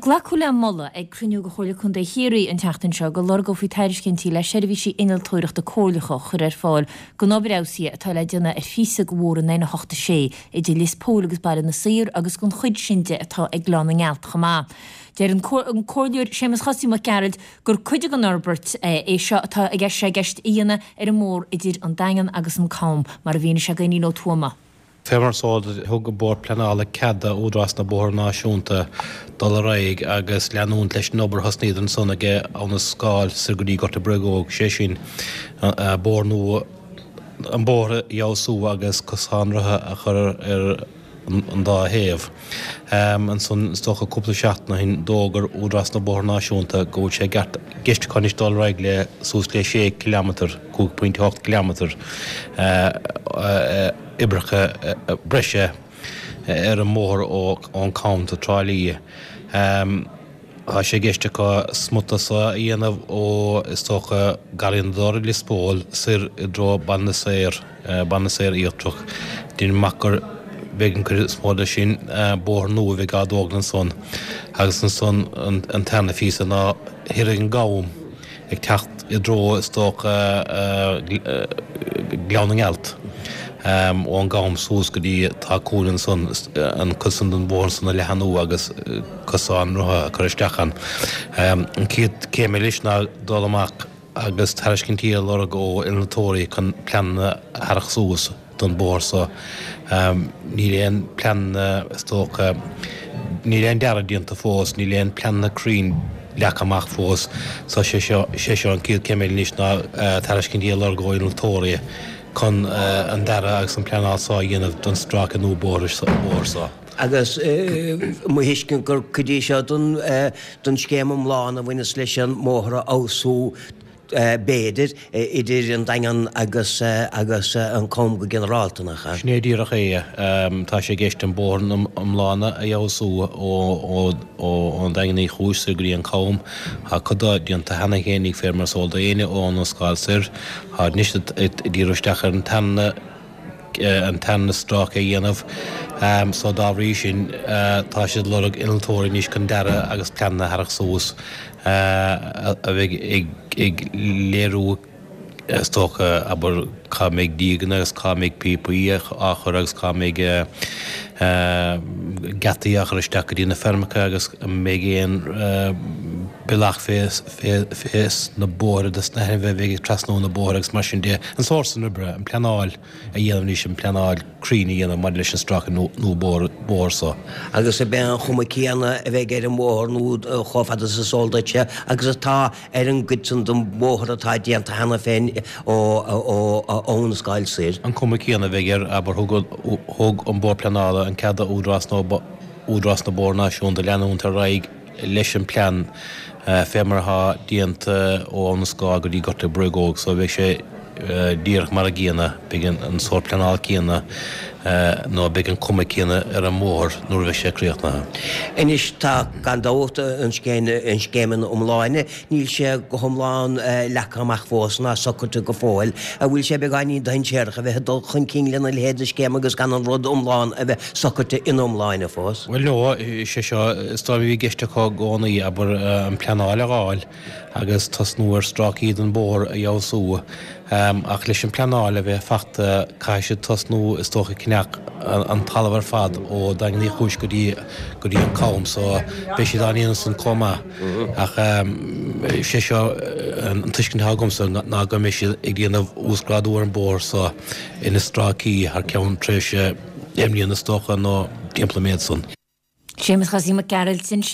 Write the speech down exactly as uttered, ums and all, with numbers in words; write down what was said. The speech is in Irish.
Glacadh le moladh ag cruinniú de Chomhairle Contae Chiarraí an tseachtain seo go lorgófaí tairiscintí le seirbhísí innealtóireachta comhairleacha a chur ar fáil don obair fheabhsaithe atá le déanamh ar phíosa de bhóthar an N a hocht a sé idir Lios Póil agus Baile na Saor agus don chuid sin de atá ag Gleann na nGealt chomh maith. Deir an Comhairleoir Séamus Chosaí Mac Gearailt gur cuid den fhorbairt é seo atá ag sé i gceist a dhéanamh ar an mbóthar idir an Daingean agus an Cam, mar a mhínigh sé d'Éinín Ó Tuama. Fé mar is eol duit, thug an Bord Pleanála cead do Údarás na Bóithre Náisiúnta dul ar aghaidh agus leanúint leis an obair a thosnaíodar ansan ag Abhainn an Scáil soir go dtí Gort a' Bhriogóg, sé sin, bóthar nua, an bóthar a fheabhsú agus cosán rotha a chur ar an dá thaobh. Ansan, is dócha cúpla seachtain ó shin, d'fhógair Údarás na Bóithre Náisiúnta go bhfuil sé i gceist acu anois dul ar aghaidh le suas le sé ciliméadar, cúig pointe a hocht ciliméadar, a. oibreacha breise ar an mbóthar ón Cam go Trá Lí. Tá sé i gceist acu smut de seo a dhéanamh ó, is dócha, Garraí na dTor i Lios Póil soir i dtreo Baile na Saor, Baile na Saor Íochtarach. Deinim amach gur bheidh an chuid is mó de sin bóthar nua a bheidh á dtógáil ansan agus ansan an tarna phíosa ná thoir ag an gCam. ag teacht i dtreo, is dócha, Gleann na nGealt, ón gCam suas go dtí tá cúinne ansan, an cuid san den bhóthar san a leathanú agus cosán rotha a chur isteach ann. An chéad céim anois ná dul amach agus tairiscintí a lorg ó innealtóirí chun pleananna a tharrac suas. don bhóthar so. Níl aon pleananna, is dócha, níl aon dearadh déanta fós, níl aon pleananna cruinn leagtha amach fós. So sé seo, sé seo an chéad céim eile anois ná tairiscintí a lorg ó innealtóirí chun an dearadh agus an pleanáil so a dhéanamh don stráice nua bóthair so. Agus mo thuiscint gur cuid é seo den scéim iomlán a bhaineas leis an mbóthar a fheabhsú b'fhéidir, idir an Daingean agus agus an Com go ginearálta, nach ea? Sin é díreach é. Tá sé i gceist an bóthar iomlán a fheabhsú ón Daingean Uí Chúis soir go dtí an Com. Tá cuid de déanta cheana fhéinig fé mar is eol d'éinne ó Abhainn an Scáil soir. Tá anois ag díriú isteach ar an tarna an tarna stráice a dhéanamh so dá bhrí sin tá siad ag lorg innealtóirí anois chun dearadh agus pleananna a tharrac suas a bheidh ag léiriú is dócha, abair, cá mbeidh díoganna agus cá mbeidh píopaí á chur agus cá mbeidh geataí á chur isteach go dtí na feirmeacha agus an mbeidh aon bealach fés na bóithre dos na hainmhithe a bheidh ag trasnú na bóithre agus mar sin de. An sórt san oibre, an pleanáil. a dhéanamh anois, an pleanáil cruinn a dhéanamh maidir leis an stráice nua bóthair so. Agus ab é an chuma céanna a bheidh ar an mbóthar nua chomh fada is is eol duitse agus atá ar an gcuid san den bhóthar atá déanta cheana féin ó Abhainn an Scáil soir. An cuma céanna a bheidh air, abair, thug an Bord Pleanála an cead do Údarás Údarás na Bóithre Náisiúnta leanúint ar aghaidh leis an plean fé mar atá déanta ó Abhainn an Scáil go dtí Gort a' Bhriogóg so beidh sé díreach mar a gcéanna, beidh an sórt pleanála céanna nó beidh an cuma céanna ar an mbóthar nuair a bheidh sé críochnaithe. Anois tá, gan dabht, an scéim ina iomláine, níl sé go hiomlán leagtha amach fós ná socraithe go fóill. An bhfuil sé beagáinín dainséarach a bheith ag dul chun cinn lena leithéid de scéim agus gan an rud iomlán a bheith socraithe ina iomláine fós? Bhuel no, sé seo, is dóigh liom a bhí i gceist acu i gcónaí, abair, an pleanáil a dh'fháil agus tosnú ar stráicí den bhóthar a fheabhsú. Ach leis an pleanáil a bheith fachta, caithfidh siad tosnú, is dócha, ag ceannach an talamh ar fad ó Daingean Uí Chúis go dtí go dtí an Cam, so beidh siad á ndéanamh san chomh maith. Ach sé seo an tuiscint atá agamsa ná go mbeidh siad ag déanamh uasghrádú ar an bóthar so ina stráicí thar ceann tréimhse deich mbliana is dócha nó timpeall an méid san. Séamus Chosaí Mac Gearailt ansin.